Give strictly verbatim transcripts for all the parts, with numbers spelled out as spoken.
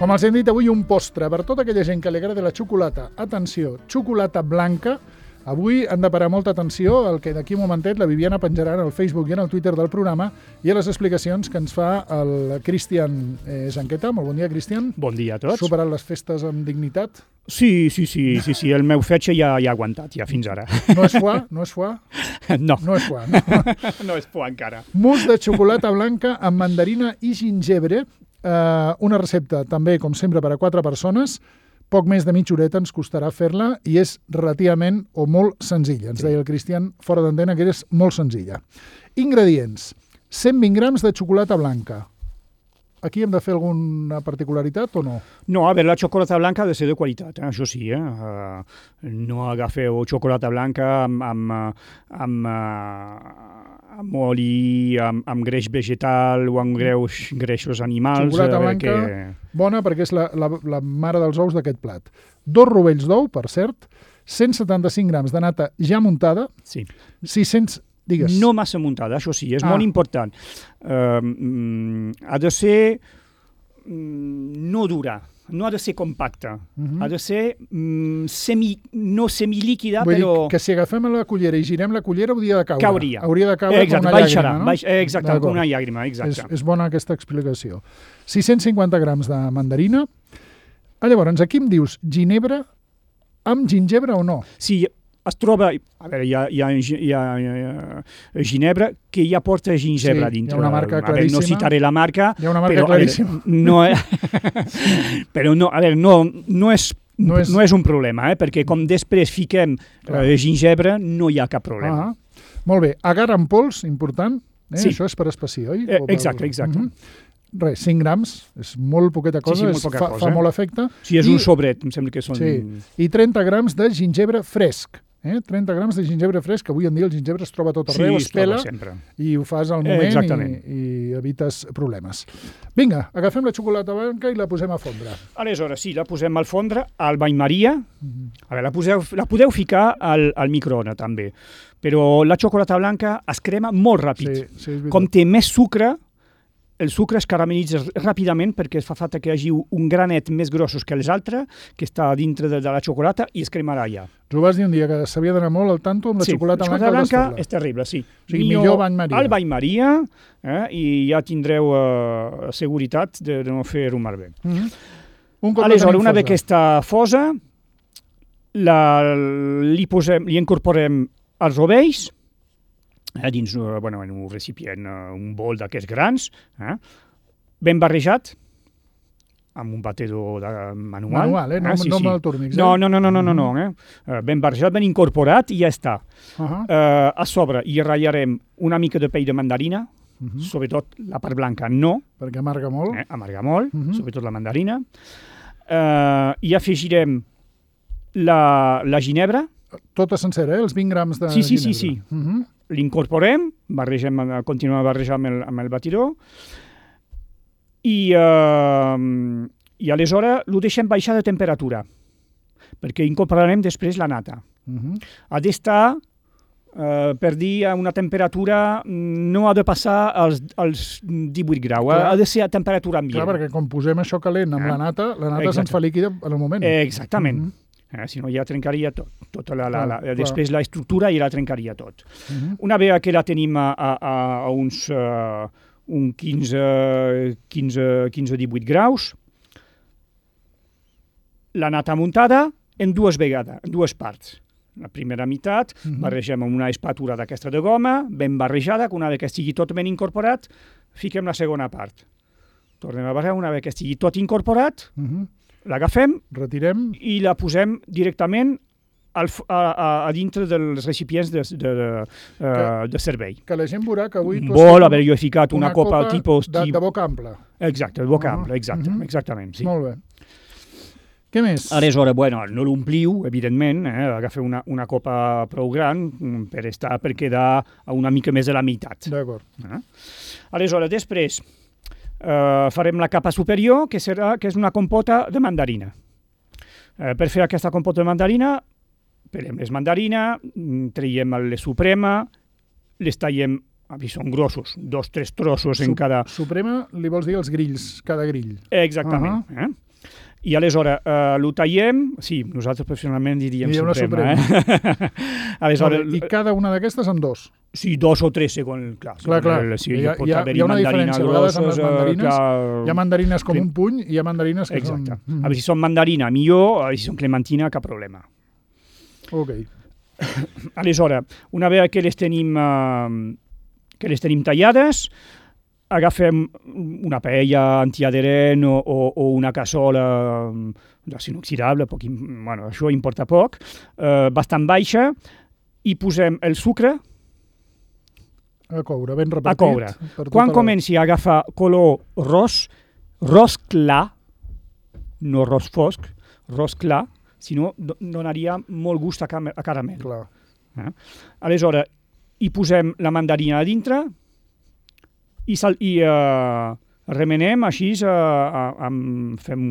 Com els hem dit avui, un postre per tota aquella gent que li agrada la xocolata. Atenció, xocolata blanca. Avui han de parar molta atenció al que d'aquí un momentet la Viviana penjarà en el Facebook i en el Twitter del programa i a les explicacions que ens fa el Cristian eh, Zanqueta. Molt bon dia, Cristian. Bon dia a tots. Superat les festes amb dignitat? Sí, sí, sí, sí, sí. El meu fetge ja, ja ha aguantat, ja fins ara. No és foie? No és foie? No. No és foie, no. No és foie encara. Mousse de xocolata blanca amb mandarina i gingebre. Eh, una recepta també, com sempre, per a quatre persones. Poc més de mitja horeta ens costarà fer-la i és relativament o molt senzilla. Ens deia el Cristian fora d'antena que és molt senzilla. Ingredients. cent vint grams de xocolata blanca. Aquí hem de fer alguna particularitat o no? No, a veure, la xocolata blanca ha de ser de qualitat, eh? Això sí. Eh? Uh, no agafeu xocolata blanca amb, amb, amb, uh, amb oli, amb, amb greix vegetal o amb greix, greixos animals. Xocolata blanca que... bona perquè és la, la, la mare dels ous d'aquest plat. Dos rovells d'ou, per cert, cent setanta-cinc grams de nata ja muntada, sí. sis-cents... Digues. No massa muntada, això sí, és ah. molt important. Uh, mm, ha de ser mm, no dura, no ha de ser compacta, uh-huh. ha de ser mm, semi, no semilíquida, Vull però... dir que si agafem la cullera i girem la cullera hauria de caure. Cauria. Hauria de caure exacte, com una baixarà, llàgrima, no? Baix, exacte, com una llàgrima, exacte. És, és bona aquesta explicació. sis-cents cinquanta grams de mandarina. Ah, llavors, aquí em dius ginebra amb gingebre o no? Sí, es troba, a veure, hi ha, hi ha, hi ha, hi ha ginebra que ja porta gingebre sí, dintre. Hi ha una marca a veure, claríssima. no citaré la marca. Hi ha una marca però, claríssima. A veure, no, però no, a veure, no, no, és, no, és... no és un problema, eh? Perquè com després fiquem uh, gingebre no hi ha cap problema. Ah, molt bé. Agar en pols, important. Eh? Sí. Això és per espessir, oi? Eh, exacte, exacte. Uh-huh. Res, cinc grams, és molt poqueta cosa, sí, sí, molt poca fa, cosa. fa molt efecte. Sí, és I, un sobret, em sembla que són... Sí, i trenta grams de gingebre fresc. Eh? trenta grams de gingebre fresc, que avui en dia el gingebre es troba tot arreu, sí, es pela sempre. I ho fas al moment eh, i, i evites problemes. Vinga, agafem la xocolata blanca i la posem a fondre. Aleshores, sí, la posem al fondre, al bany Maria. Mm-hmm. A veure, la, poseu, la podeu ficar al, al microones també, però la xocolata blanca es crema molt ràpid. Sí, sí, com té més sucre, el sucre es caramelitza ràpidament perquè fa falta que hi hagi un granet més grossos que els altres, que està dintre de, de la xocolata i es cremarà ja. Tu vas dir un dia que s'havia d'anar molt al tanto amb la sí, xocolata blanca. Sí, la xocolata blanca és terrible, sí. O sigui, millor, millor bany Maria. Al bany Maria, eh, i ja tindreu uh, seguretat de, de no fer-ho malbé. Mm-hmm. Un Aleshores, una vegada que està fosa, la, li, posem, li incorporem els rovells, Eh, dins bueno, en un recipient, un bol d'aquests grans, eh, ben barrejat, amb un batedor de, manual. Manual, eh? No, eh? Sí, no sí. amb el Turmix. Eh? No, no, no, no, no, no, no eh? Ben barrejat, ben incorporat i ja està. Uh-huh. Eh, a sobre hi ratllarem una mica de pell de mandarina, uh-huh. sobretot la part blanca no. Perquè amarga molt. Eh, amarga molt, uh-huh. sobretot la mandarina. Eh, I afegirem la, la ginebra. Tota sencera, eh? Els vint grams de sí, sí, ginebra. Sí, sí, sí. Uh-huh. L'incorporem, barregem, continuem a barrejar amb el, amb el batidor i, uh, i aleshores ho deixem baixar de temperatura perquè incorporarem després la nata. Uh-huh. Ha d'estar, uh, per dir, a una temperatura, no ha de passar als, als divuit graus, Clar. ha de ser a temperatura ambient. Clar, perquè quan posem això calent amb eh? la nata, la nata se'ns fa líquida en el moment. Eh, exactament. Uh-huh. Eh, si no ja trencaria tot, tota la, la, la, clar, després clar. la estructura ja la trencaria tot. Uh-huh. Una vegada que la tenim a, a, a uns uh, un quinze a divuit graus, la nata muntada en dues vegades, en dues parts. La primera meitat uh-huh. barregem amb una espàtula d'aquesta de goma, ben barrejada, que una vegada que estigui tot ben incorporat, fiquem la segona part. Tornem a barrejar, una vegada que estigui tot incorporat, uh-huh. l'agafem, retirem i la posem directament al, a, a, a dintre dels recipients de, de, de, que, uh, de servei. Que la gent veurà que avui... Un bol, a veure, jo he ficat una, una copa, copa tipus... De, de boca ampla. Exacte, de boca uh-huh. ampla, exacte, uh-huh. exactament. Sí. Molt bé. Què més? Aleshores, bueno, no l'ompliu, evidentment, eh? agafeu una, una copa prou gran per, estar, per quedar a una mica més de la meitat. D'acord. Eh? Aleshores, després... Uh, farem la capa superior, que, serà, que és una compota de mandarina. Uh, per fer aquesta compota de mandarina, pelem les mandarines, traiem la suprema, les tallem, són grossos, dos, tres trossos Sup en cada... Suprema li vols dir els grills, cada grill. Exactament. Uh -huh. eh? I aleshores uh, lo tallem, sí, nosaltres professionalment diríem Suprema. Suprema. Eh? aleshores, I cada una d'aquestes en dos? Sí, dos o tres segons. Clar, clar, clar. El, sí, hi, ha, hi, ha, hi ha una diferència, a vegades amb les mandarines, clar, hi ha mandarines com un puny i hi ha mandarines que exacte. són... A veure, si són mandarina, millor, si són clementina, cap problema. Ok. Aleshores, una vegada que les tenim, uh, que les tenim tallades, agafem una paella antiadherent o, o, o una cassola d'acer inoxidable, poc, bueno, això importa poc, uh, bastant baixa, i posem el sucre a coure, ben repartit. A coure. Quan la... comenci a agafar color ros, ros clar, no ros fosc, ros clar, si no donaria molt gust a, a caramel. Clar. Eh? Aleshores, hi posem la mandarina a dintre i, sal, i uh, remenem així, uh, uh, fem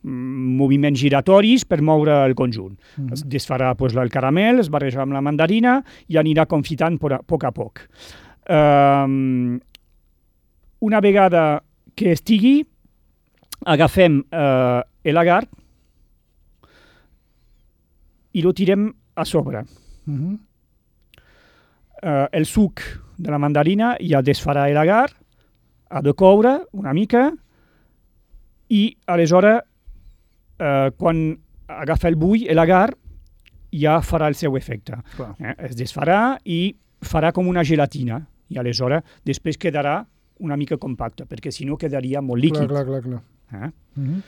moviments giratoris per moure el conjunt. Mm-hmm. Es desfarà pues, el caramel, es barreja amb la mandarina i anirà confitant a poc a poc. Uh, una vegada que estigui, agafem uh, l'agar i lo tirem a sobre. Mm-hmm. uh, el suc de la mandarina ja desfarà l'agar, ha de coure una mica i aleshores uh, quan agafa el bull, l'agar ja farà el seu efecte. Eh? Es desfarà i farà com una gelatina i aleshores després quedarà una mica compacta, perquè si no quedaria molt líquid. Clar, clar, clar. Eh? Mm-hmm.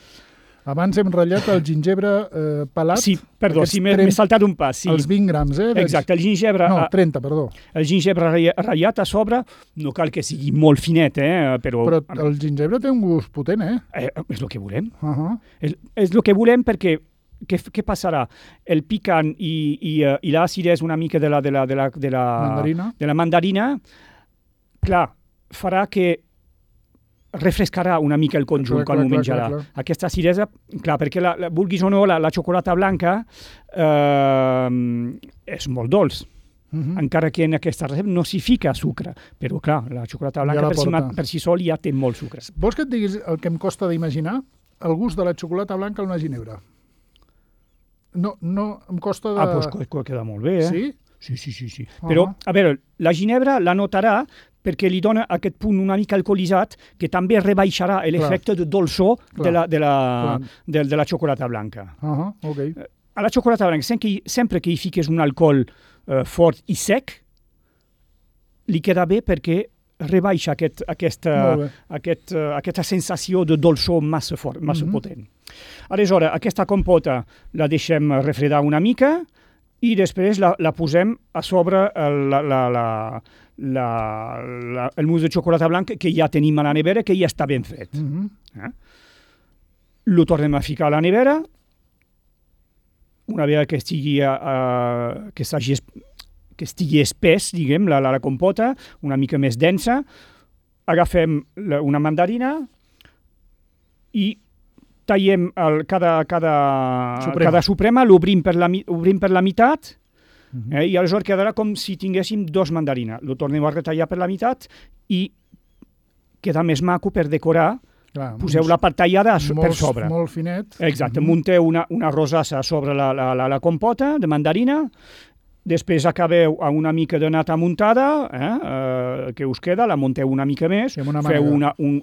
Abans hem ratllat el gingebre eh, pelat. Sí, perdó, sí, m'he trenta... saltat un pas. Sí. Els vint grams, eh? Exacte, el gingebre... No, trenta, perdó. El gingebre ratllat a sobre, no cal que sigui molt finet, eh? Però, però el gingebre té un gust potent, eh? eh és el que volem. Uh-huh. És, és el que volem perquè què, què passarà? El picant i, i, uh, i l'acidesa una mica de la, de la, de la, de la, mandarina. De la mandarina, clar, farà que refrescarà una mica el conjunt clar, quan clar, ho menjarà. Clar, clar. Aquesta acidesa, clar, perquè la, la, vulguis o no, la, la xocolata blanca eh, és molt dolç. Uh-huh. Encara que en aquesta recepta no s'hi fica sucre, però clar, la xocolata blanca ja per, si, per si sol ja té molt sucre. Vols que et diguis el que em costa d'imaginar? El gust de la xocolata blanca en una ginebra. No, no, em costa de... Ah, doncs queda molt bé, eh? Sí? Sí, sí, sí. sí. Uh-huh. Però, a veure, la ginebra la notarà perquè li dona aquest punt una mica alcoholitzat que també rebaixarà l'efecte de dolçor de la, de, la, de, de la xocolata blanca. Uh-huh. Okay. A la xocolata blanca, sempre que, sempre que hi fiques un alcohol eh, fort i sec, li queda bé perquè rebaixa aquest, aquesta, aquest, uh, aquesta sensació de dolçor massa fort, massa mm-hmm. potent. Aleshores, aquesta compota la deixem refredar una mica i després la, la posem a sobre la, la, la, la, la, el mousse de xocolata blanca que ja tenim a la nevera, que ja està ben fet. Mm-hmm. eh? Lo tornem a ficar a la nevera, una vegada que estigui, uh, que s'hagi que estigui espès, diguem, la, la, la compota, una mica més densa, agafem la, una mandarina i tallem el, cada, cada, suprema. cada suprema, l'obrim per, la, obrim per la meitat, uh-huh. eh, i aleshores quedarà com si tinguéssim dos mandarines. Lo tornem a retallar per la meitat i queda més maco per decorar. Clar, poseu la part tallada molt, per sobre. Molt finet. Exacte, uh-huh. munteu una, una rosassa sobre la, la, la, la compota de mandarina, després acabeu amb una mica de nata muntada, eh, eh, que us queda, la munteu una mica més, una feu una, un,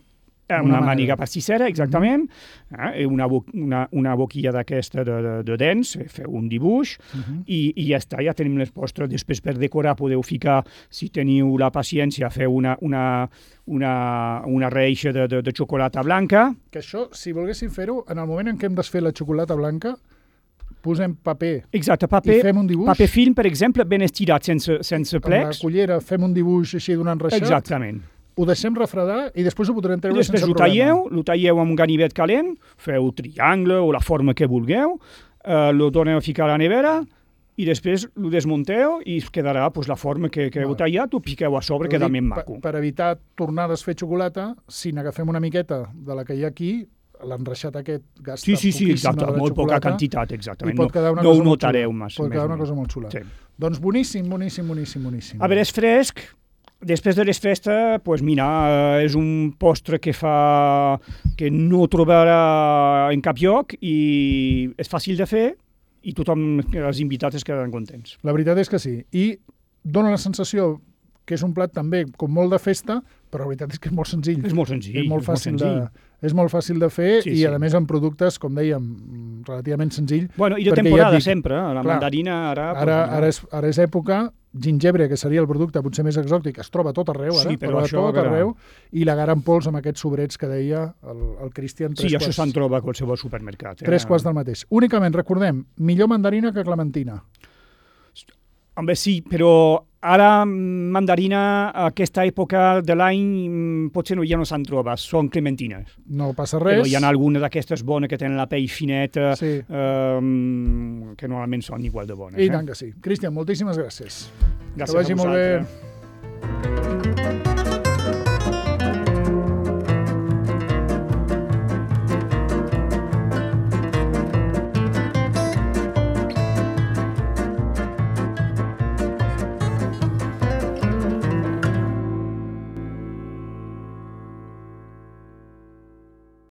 eh, una, una màniga pastissera, exactament, uh-huh. eh, una, bo, una, una boquilla d'aquesta de, de, de dents, feu un dibuix, uh-huh. i, i ja està, ja tenim les postres. Després per decorar podeu ficar, si teniu la paciència, feu una, una, una, una reixa de, de, de xocolata blanca. Que això, si volguéssim fer-ho, en el moment en què hem desfet la xocolata blanca, posem paper. Exacte, paper, i fem un dibuix. Paper film, per exemple, ben estirat, sense, sense plecs. Amb la cullera fem un dibuix així d'un enreixat. Exactament. Ho deixem refredar i després ho podrem treure després sense problema. Després ho talleu, ho talleu amb un ganivet calent, feu triangle o la forma que vulgueu, eh, lo torneu a ficar a la nevera i després ho desmunteu i us quedarà pues, la forma que, que heu tallat, ho piqueu a sobre, queda més maco. Per, per evitar tornar a desfer xocolata, si n'agafem una miqueta de la que hi ha aquí, l'enreixat aquest gasta sí, sí, sí, poquíssima exacte, de molt xocolata. Poca quantitat, exactament. I pot quedar una no, cosa no ho notareu massa. massa. Pot quedar una cosa molt xula. Sí. Doncs boníssim, boníssim, boníssim, boníssim. A veure, és fresc, després de les festes, pues mira, és un postre que fa que no trobarà en cap lloc i és fàcil de fer i tothom, els invitats, es quedaran contents. La veritat és que sí. I dona la sensació que és un plat també com molt de festa, però la veritat és que és molt senzill. És molt senzill. És molt fàcil, és molt de, és molt fàcil de fer sí, i, sí. a més, amb productes, com dèiem, relativament senzill. Bueno, i de temporada ja dic, sempre, la clar, mandarina ara... Ara, ara, és, ara és època, gingebre, que seria el producte potser més exòtic, es troba a tot arreu, ara, sí, però a tot arreu, i la gara en pols amb aquests sobrets que deia el, el Cristian. Sí, això se'n troba a qualsevol supermercat. Eh? Tres quarts del mateix. Únicament, recordem, millor mandarina que clementina. Home, sí, però ara mandarina, a aquesta època de l'any, potser no, ja no se'n troba, són clementines. No passa res. Però hi ha alguna d'aquestes bones que tenen la pell fineta, sí. eh, que normalment són igual de bones. I eh? tant que sí. Cristian, moltíssimes gràcies. Gràcies a vosaltres.